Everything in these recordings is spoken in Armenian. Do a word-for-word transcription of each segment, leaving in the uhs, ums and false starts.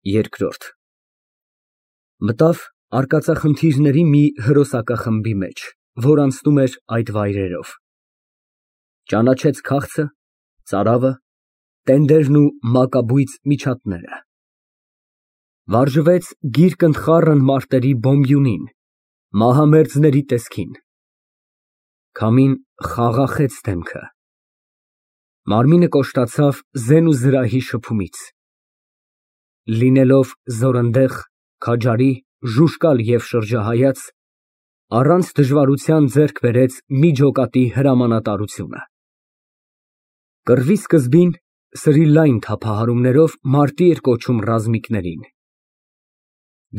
Երկրորդ Մտավ արկածախնդիրների մի հրոսակախմբի մեջ, որ անցնում էր այդ վայրերով, ճանաչեց քաղցը, ծարավը, տենդերն ու մակաբույծ միջատները, վարժվեց գիրկընդխառն մարտերի բոմբյունին, մահամերձների տեսքին, քամին խաղաղեց դեմքը, մարմինը կոշտացավ զեն ու զրահի շփումից, լինելով զորընդեղ, քաջարի, ժուժկալ և շրջահայաց, առանց դժվարության ձեռք բերեց մի ջոկատի հրամանատարությունը, կռվի սկզբին սրի լայն թափահարումներով մարտի էր կոչում ռազմիկներին,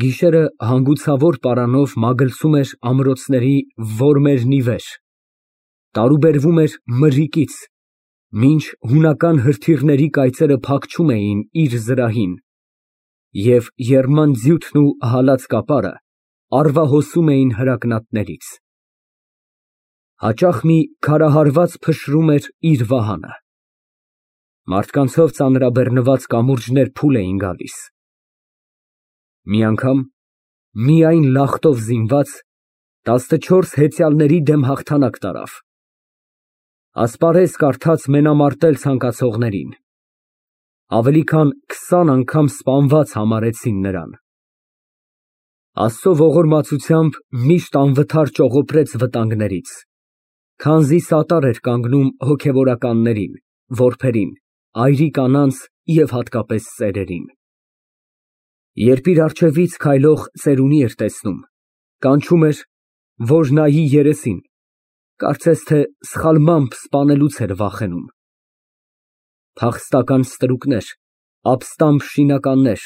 գիշերը հանգուցավոր պարանով մագլցում էր ամրոցների որմերն ի վեր, տարուբերվում էր մրրիկից, մինչ հունական հրթիռների կայծերը փախչում էին իր զրահին, և եռման ձյութն ու հալած կապարը առվահոսում էին հրակնատներից, հաճախ մի քարահարված փշրում էր իր վահանը, մարդկանցով ծանրաբեռնված կամուրջներ փուլ էին գալիս, մի անգամ միայն լախտով զինված տասնչորս հեծյալների դեմ հաղթանակ տարավ, ասպարեզ կարդաց մենամարտել ցանկացողներին, ավելի քան քսան անգամ սպանված համարեցին նրան, Աստծո ողորմածությամբ միշտ անվթար ճողոպրեց վտանգներից, քանզի սատար էր կանգնում հոգևորականներին, որբերին, այրի կանանց և հատկապես ծերերին, երբ իր առջևից քայլող ծերունի էր տեսնում, կանչում էր, որ նայի երեսին, կարծես թե սխալմամբ սպանելուց էր վախենում, փախստական ստրուկներ, ապստամբ շինականներ,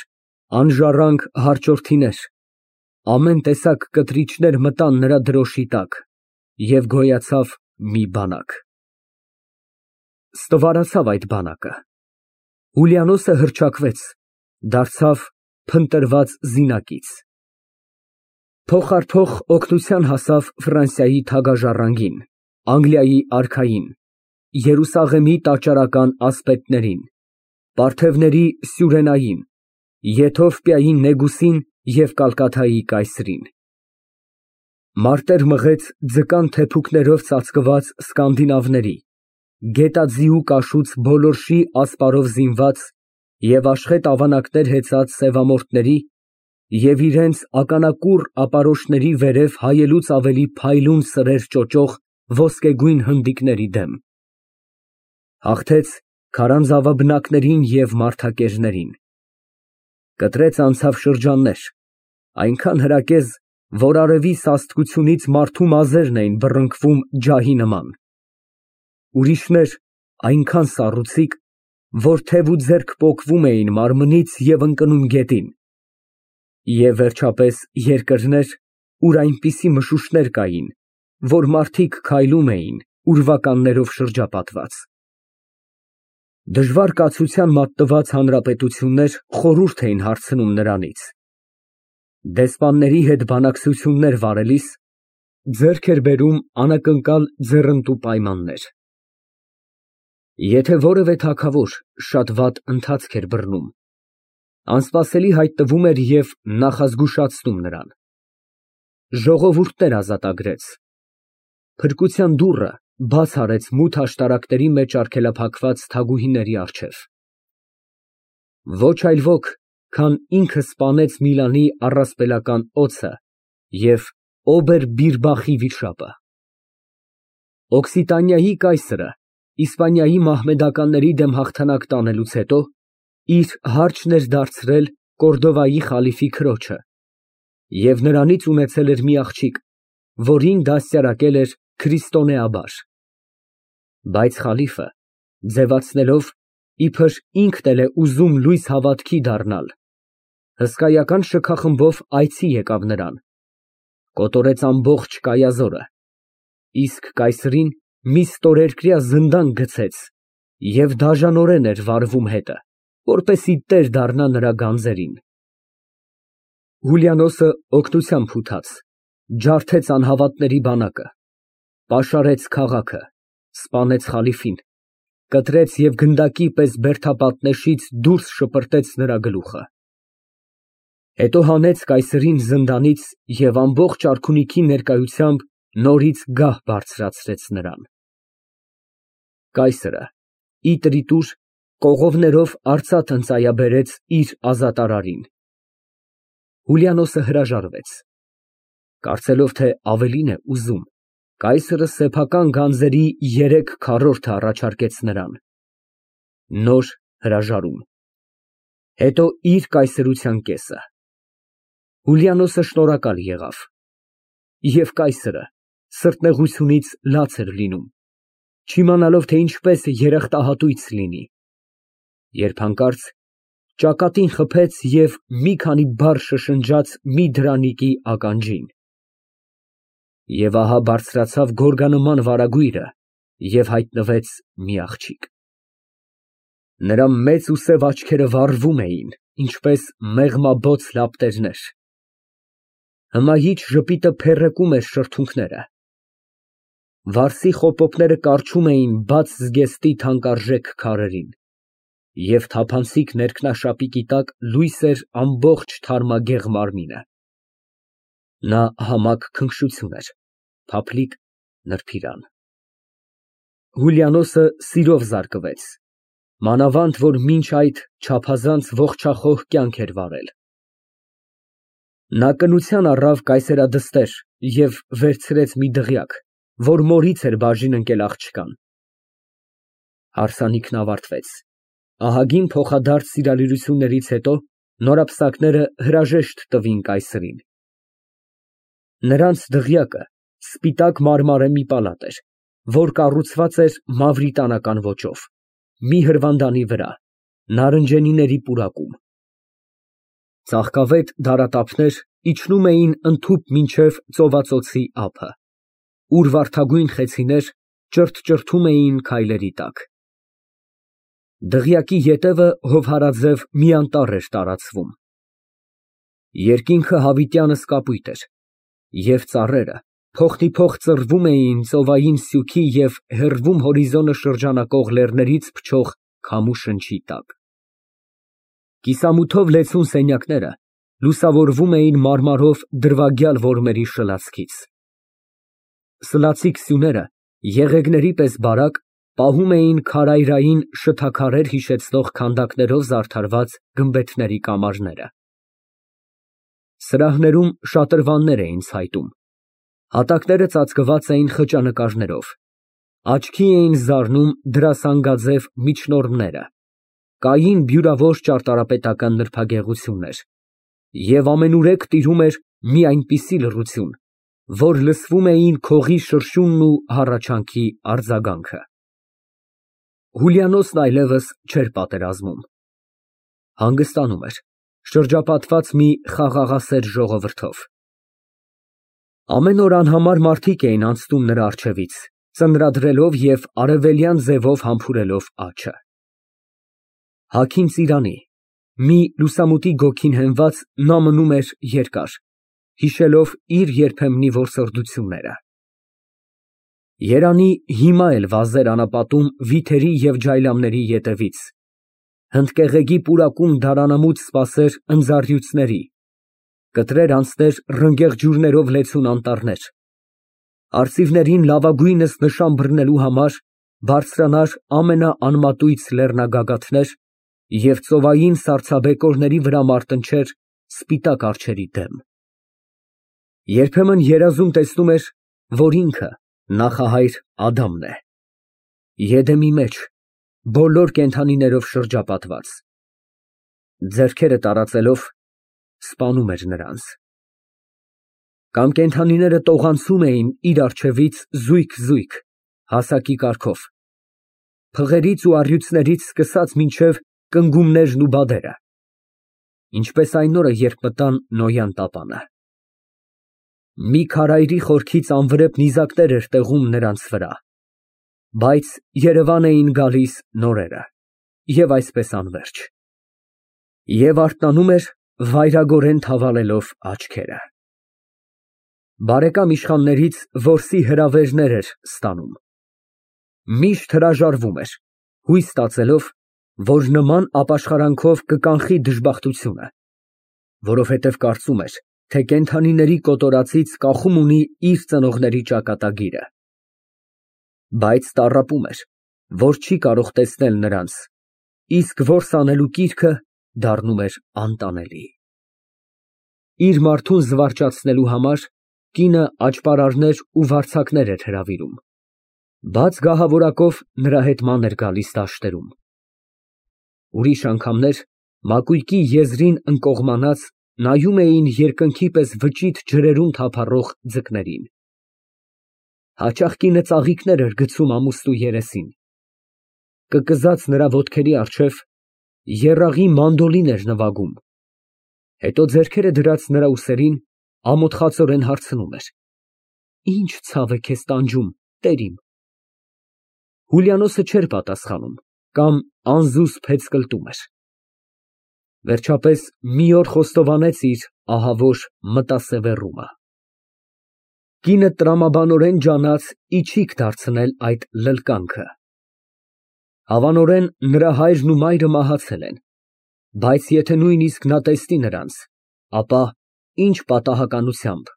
անժառանգ հարճորդիներ, ամեն տեսակ կտրիչներ մտան նրա դրոշի տակ և գոյացավ մի բանակ, ստվարացավ այդ բանակը, Հուլիանոսը հռչակվեց, դարձավ փնտրված զինակից, փոխ առ փոխ օգնության հասավ Ֆրանսիայի թագաժառանգին, Անգլիայի արքային, Երուսաղեմի տաճարական ասպետներին, Պարթևների սյուրենային, Եթովպիայի նեգուսին և Կալկաթայի կայսրին, մարտեր մղեց ձկան թեփուկներով ծածկված սկանդինավների, գետաձիու կաշուց բոլորշի ասպարով զինված և աշխետ ավանակներ հեծած սևամորթների և իրենց ականակուռ ապարոշների վերև հայելուց ավելի փայլուն սրեր ճոճող ոսկեգույն հնդիկների դեմ, հաղթեց քարանձավաբնակներին և մարդակերներին, կտրեց անցավ շրջաններ, այնքան հրակեզ, որ արևի սաստկությունից մարդու մազերն էին բռնկվում ջահի նման, ուրիշներ այնքան սառուցիկ, որ թև ու ձեռք պոկվում էին մարմնից և ընկնում գետին, և վերջապես երկրներ, ուր այնպիսի մշուշներ կային, որ մարդիկ քայլում էին ուրվականներով շրջապատված, դժվար կացության մատնված հանրապետություններ խորհուրդ էին հարցնում նրանից, դեսպանների հետ բանակցություններ վարելիս ձեռք էր բերում անակնկալ ձեռնտու պայմաններ, եթե որևէ թագավոր շատ վատ ընթացք էր բռնում, անսպասելի հայտնվում էր և նախազգուշացնում նրան, ժողովուրդներ ազատագրեց, փրկության դուռը բաց արեց մութ աշտարակների մեջ արգելափակված թագուհիների առջև, ոչ այլ ոք, քան ինքը սպանեց Միլանի առասպելական օձը և Օբերբիրբախի վիշապը, Օկսիտանիայի կայսրը Իսպանիայի մահմեդականների դեմ հաղթանակ տանելուց հետո իր հարչն էր դարձրել Կորդովայի խալիֆի քրոջը և նրանից ունեցել էր մի աղջիկ, որին դաստիարակել էր քրիստոնեաբար, բայց խալիֆը, ձևացնելով, իբր ինքն էլ է ուզում լույս հավատքի դառնալ, հսկայական շքախմբով այցի եկավ նրան, կոտորեց ամբողջ կայազորը, իսկ կայսրին մի ստորերկրյա զնդան գցեց և դաժանորեն էր վարվում հետը, որպեսզի տեր դառնա նրա գանձերին, Հուլիանոսը օգնությամբ ուտաց, ջարդեց անհավատների բանակը, պաշարեց քաղաքը, սպանեց խալիֆին, կտրեց և գնդակի պես բերդապատնեշից դուրս շպրտեց նրա գլուխը, Հետո հանեց կայսրին զնդանից և ամբողջ արքունիքի ներկայությամբ նորից գահ բարձրացրեց նրան։ Կայսրը, ի տրիտուր, կողովներով արծաթ ընծայաբերեց իր ազատարարին։ Հուլիանոսը հրաժարվեց, կարծելով, թե ավելին է ուզում, կայսրը սեփական գանձերի երեք քառորդը առաջարկեց նրան։ Նոր հրաժարում, հետո իր կայսրության կեսը։ Հուլիանոսը շնորհակալ եղավ, և կայսրը սրտնեղությունից լաց էր լինում, չիմանալով, թե ինչպես երախտահատույց լինի, երբ հանկարծ ճակատին խփեց և մի քանի բառ շշնջաց մի դրանիկի ականջին։ Եվ ահա բարձրացավ գորգանման վարագույրը և հայտնվեց մի աղջիկ։ Նրա մեծ ու սև աչքերը վառվում էին, ինչպես մեղմաբոց լապտերներ։ Հմայիչ ժպիտը փերրեկում էր շրթունքները։ Վարսի խոպոպները կառչում էին բաց զգեստի թանկարժեք քարերին, և թափանցիկ ներքնաշապիկի տակ լույս էր ամբողջ թարմագեղ մարմինը։ Նա համակ քնքշություն էր, փափլիկ, նրբիրան։ Հուլիանոսը սիրով զարկվեց, մանավանդ որ մինչ այդ չափազանց ողջախոհ կյանք էր վարել։ Նա կնության առավ կայսերադստեր և վերցրեց մի դղյակ, որ մորից էր բաժին ընկել աղջկան։ Հարսանիքն ավարտվեց, ահագին փոխադարձ սիրալիրություններից հետո նորապսակները հրաժեշտ տվին կայսրին։ Նրանց դղյակը սպիտակ մարմարե մի պալատ էր, որ կառուցված էր մավրիտանական ոճով, մի հրվանդանի վրա, նարնջենիների պուրակում։ Ծաղկավետ դարատափներ իջնում էին ընդհուպ մինչև ծովածոցի ափը, ուր վարդագույն խեցիներ ճրթճրթում էին քայլերի տակ։ Դղյակի ետևը հովհարաձև մի անտառ էր տարածվում։ Երկինքը հավիտյանս կապույտ էր, և ծառերը փոխնիփոխ ծռվում էին ծովային սյուքի և հեռվում հորիզոնը շրջանակող լեռներից փչող քամու շնչի տակ։ Կիսամութով լեցուն սենյակները լուսավորվում էին մարմարով դրվագյալ որմերի շլացքից։ Սլացիկ սյուները, եղեգների պես բարակ, պահում էին քարայրային շթաքարեր հիշեցնող քանդակներով զարդարված գմբեթների կամարները։ Սրահներում շատրվաններ էին ցայտում, հատակները ծածկված էին խճանկարներով, աչքի էին զարնում դրասանգաձև միջնորմները, կային բյուրավոր ճարտարապետական նրբագեղություններ, և ամենուրեք տիրում էր մի այնպիսի լռություն, որ լսվում էին քողի շրշյունն ու հառաչանքի արձագանքը։ Հուլիանոսն այլևս չէր պատերազմում, հանգստանում էր, շրջապատված մի խաղաղասեր ժողովրդով։ Ամեն օր անհամար մարդիկ էին անցնում նրա առջևից, ծնրադրելով և արևելյան ձևով համբուրելով աջը։ Հագին ծիրանի, մի լուսամուտի գոգին հենված, նա մնում էր երկար, հիշելով իր երբեմնի որսորդությունները։ Երանի հիմա էլ վազեր անապատում վիթերի և ջայլամների ետևից, հնդկեղեգի պուրակում դարանամուտ սպասեր ընձառյուծների, կտրեր անցներ ռնգեղ ջուրներով լեցուն անտառներ, արծիվներին լավագույնս նշան բռնելու համար բարձրանար ամենաանմատույց լեռնագագաթներ և ծովային սառցաբեկորների վրա մարտնչեր սպիտակ արջերի դեմ։ Երբեմն երազում տեսնում էր, որ ինքը նախահայր Ադամն է, Եդեմի մեջ, բոլոր կենդանիներով շրջապատված, ձեռքերը տարածելով սպանում էր նրանց։ Կամ կենդանիները տողանցում էին իր առջևից զույգ֊զույգ, հասակի կարգով, փղերից ու առյուծներից սկսած մինչև կնգումներն ու բադերը, ինչպես այն օրը, երբ մտան Նոյան տապանը։ Մի քարայրի խորքից անվրեպ նիզակներ էր տեղում նրանց վրա, բայց երևան էին գալիս նորերը, և այսպես անվերջ։ Եվ արթնանում էր, վայրագորեն թավալելով աչքերը։ Բարեկամ իշխաններից որսի հրավերներ էր ստանում։ Միշտ հրաժարվում էր, հույս ստացելով, որ նման ապաշխարանքով կկանխի դժբախտությունը, որովհետև կարծում էր, թե կենդանիների կոտորածից կախում ունի իր ծնողների ճակատագիրը։ Բայց տառապում էր, որ չի կարող տեսնել նրանց, իսկ որս անելու կիրքը դառնում էր անտանելի։ Իր մարդուն զվարճացնելու համար կինը աճպարարներ ու վարձակներ էր հրավիրում, բաց գահավորակով նրա հետ ման էր գալիս դաշտերում։ Ուրիշ անգամներ մակույկի եզրին ընկողմանած նայում էին երկնքի պես վճիտ ջրերում թափառող ձկներին։ Հաճախ կինը ծաղիկներ էր գցում ամուստու երեսին։ Կկզած նրա ոտքերի առջև եռաղի մանդոլին էր նվագում, հետո ձեռքերը դրած նրա ուսերին ամոթխածորեն հարցնում էր. «Ինչ ցավ է քեզ տանջում, տեր իմ»։ Հուլիանոսը չէր պատասխանում կամ անզուսպ հեծկլտում էր։ Վերջապես մի օր խոստովանեց իր ահավոր մտասևեռումը։ Կինը տրամաբանորեն ջանաց իչիք դարձնել այդ լլկանքը։ Հավանորեն նրա հայրն ու մայրը մահացել են, բայց եթե նույնիսկ նա տեսնի նրանց, ապա ինչ պատահականությամբ,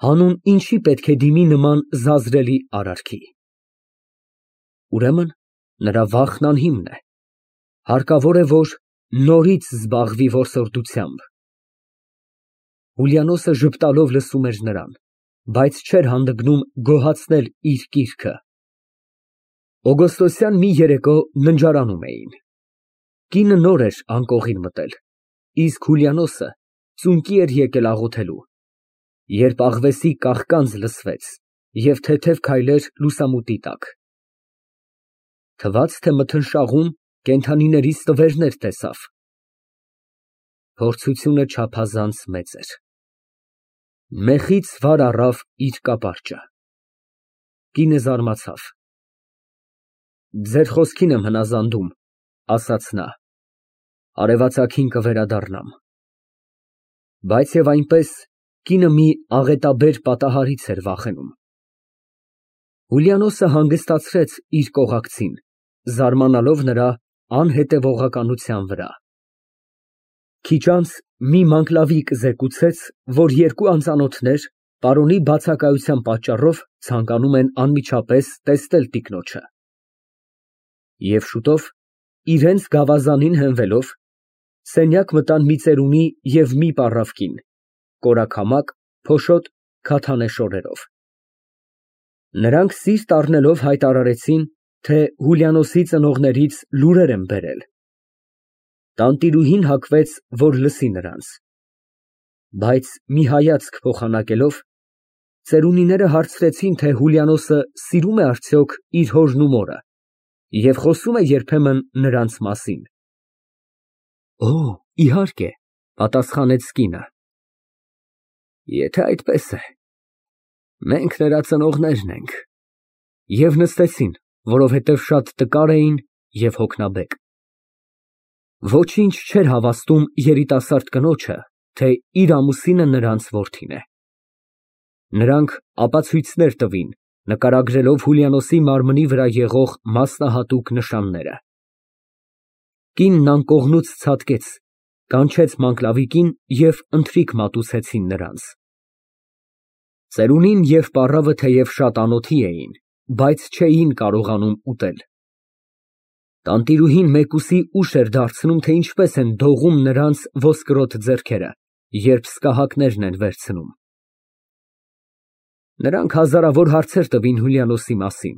հանուն ինչի պետք է դիմի նման զազրելի արարքի։ Ուրեմն նրա վախն անհիմն է, հարկավոր է, որ նորից զբաղվի որսորդությամբ։ Հուլիանոսը ժպտալով լսում էր նրան, բայց չէր հանդգնում գոհացնել իր կիրքը։ Օգոստոսյան մի երեկո ննջարանում էին։ Կինը նոր էր անկողին մտել, իսկ Հուլիանոսը ծունկի էր եկել աղոթելու, երբ աղվեսի կաղկանձ լսվեց և թեթև քայլեր լուսամուտի տակ։ Թվաց, թե մթնշաղում կենդանիների ստվերներ տեսավ։ Փորձությունը չափազանց մեծ էր։ Մեխից վար առավ իր կապարճը։ Կինը զարմացավ։ Ձեր խոսքին եմ հնազանդում, ասաց նա, արևածագին կվերադառնամ։ Բայց և այնպես կինը մի աղետաբեր պատահարից էր վախենում։ Հուլիանոսը հանգստացրեց իր կողակցին, զարմանալով նրա անհետևողականության վրա։ Քիչ անց մի մանկլավիկ զեկուցեց, որ երկու անծանոթներ պարոնի բացակայության պատճառով ցանկանում են անմիջապես տեսնել տիկնոջը։ Եվ շուտով, իրենց գավազանին հենվելով, սենյակ մտան մի ծերունի և մի պառավ կին, կորաքամակ, փոշոտ, քաթանե շորերով։ Նրանք սիրտ առնելով հայտարարեցին, թե Հուլիանոսի ծնողներից լուրեր են բերել։ Տանտիրուհին հագվեց, որ լսի նրանց։ Բայց մի հայացք փոխանակելով, ծերունիները հարցրեցին, թե Հուլիանոսը սիրում է արդյոք իր հորն ու մորը և խոսում է երբեմն նրանց մասին։ Օ, իհարկե, պատասխանեց կինը։ Եթե այդպես է, մենք նրա ծնողներն ենք։ Եվ նստեցին, որովհետև շատ տկար էին և հոգնաբեկ։ Ոչինչ չէր հավաստում երիտասարդ կնոջը, թե իր ամուսինը նրանց որդին է։ Նրանք ապացույցներ տվին, նկարագրելով Հուլիանոսի մարմնի վրա եղող մասնահատուկ նշանները։ Կինն անկողնուց ցատկեց, կանչեց մանկլավիկին և ընթրիք մատուցեցին նրանց։ Ծերունին և պառավը թեև շատ անոթի էին, բայց չէին կարողանում ուտել։ Տանտիրուհին մեկուսի ուշ էր դարձնում, թե ինչպես են դողում նրանց ոսկրոտ ձեռքերը, երբ սկահակներն են վերցնում։ Նրանք հազարավոր հարցեր տվին Հուլիանոսի մասին։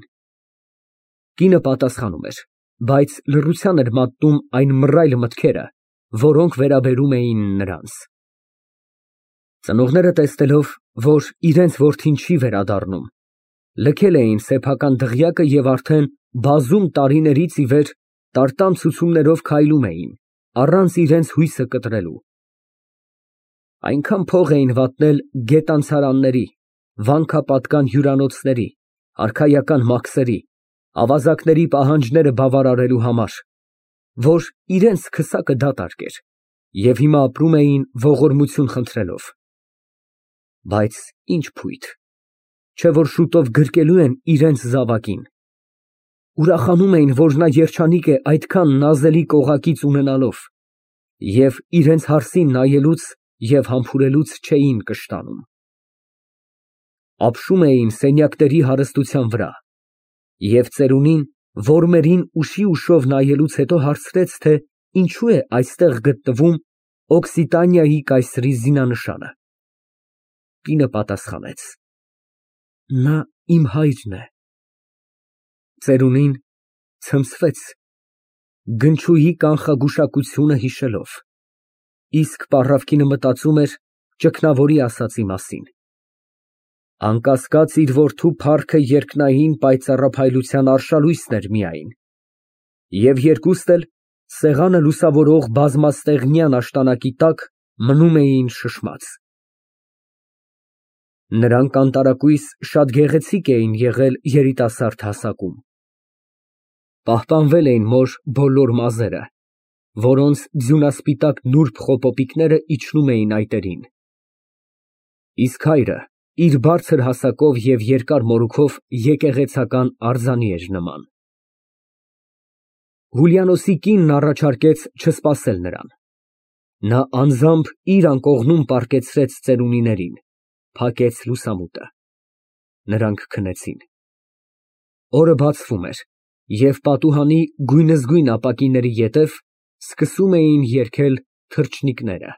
Կինը պատասխանում էր, բայց լռության էր մատնում այն մռայլ մտքերը, որոնք վերաբերում էին նրանց։ Ծնողները տեսնելով, որ իրենց որդին չի վերադառնում, լքել էին սեփական դղյակը և արդեն բազում տարիներից ի վեր տարտան ցուցումներով քայլում էին, առանց իրենց հույսը կտրելու։ Այնքան փող էին վատնել գետանցարանների, վանքապատկան հյուրանոցների, արքայական մաքսերի, ավազակների պահանջները բավարարելու համար, որ իրենց քսակը դատարկ էր, և հիմա ապրում էին ողորմություն խնդրելով։ Բայց ինչ փույթ, չէ որ շուտով գրկելու են իրենց զավակին։ Ուրախանում էին, որ նա երջանիկ է այդքան նազելի կողակից ունենալով, և իրենց հարսին նայելուց և համբուրելուց չէին կշտանում։ Ապշում էին սենյակների հարստության վրա, և ծերունին որմերին ուշի ուշով նայելուց հետո հարցրեց, թե ինչու է այստեղ գտնվում Օկսիտանիայի կայսրի զինանշանը։ Կինը պատասխանեց. Նա իմ հայրն է։ Ծերունին ցնցվեց, գնչուի կանխագուշակությունը հիշելով, իսկ պառավքինը մտածում էր ճգնավորի ասածի մասին։ Անկասկած, իր որդու փառքը երկնային պայծառափայլության արշալույսն էր միայն, և երկուստ էլ սեղանը լուսավորող բազմաստեղնյան աշտանակի տակ մնում էին շշմած։ Նրանք անտարակույս շատ գեղեցիկ էին եղել երիտասարդ հասակում։ Պահպանվել էին մոր բոլոր մազերը, որոնց ձյունասպիտակ նուրբ խոպոպիկները իջնում էին այտերին, իսկ հայրը իր բարձր հասակով և երկար մորուքով եկեղեցական արձանի էր նման։ Հուլիանոսի կինն առաջարկեց չսպասել նրան։ Նա անձամբ իր անկողնում պառկեցրեց ծերունիներին, փակեց լուսամուտը։ Նրանք քնեցին։ Օրը բացվում էր, և պատուհանի գույնզգույն ապակիների ետև սկսում էին երգել թռչնիկները։